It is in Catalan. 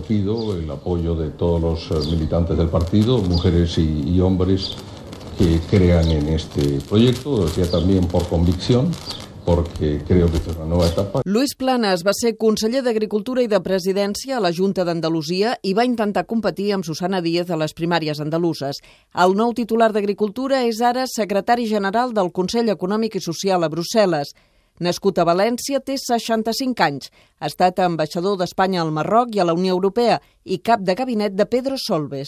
recogido el apoyo de todos los militantes del partido, mujeres y hombres que crean en este proyecto, lo decía también por convicción, porque creo que esta es una nueva etapa. Luis Planas va ser conseller d'Agricultura i de Presidència a la Junta d'Andalusia i va intentar competir amb Susana Díaz a les primàries andaluses. El nou titular d'Agricultura és ara secretari general del Consell Econòmic i Social a Brussel·les. Nascut a València, té 65 anys. Ha estat ambaixador d'Espanya al Marroc i a la Unió Europea i cap de gabinet de Pedro Solbes.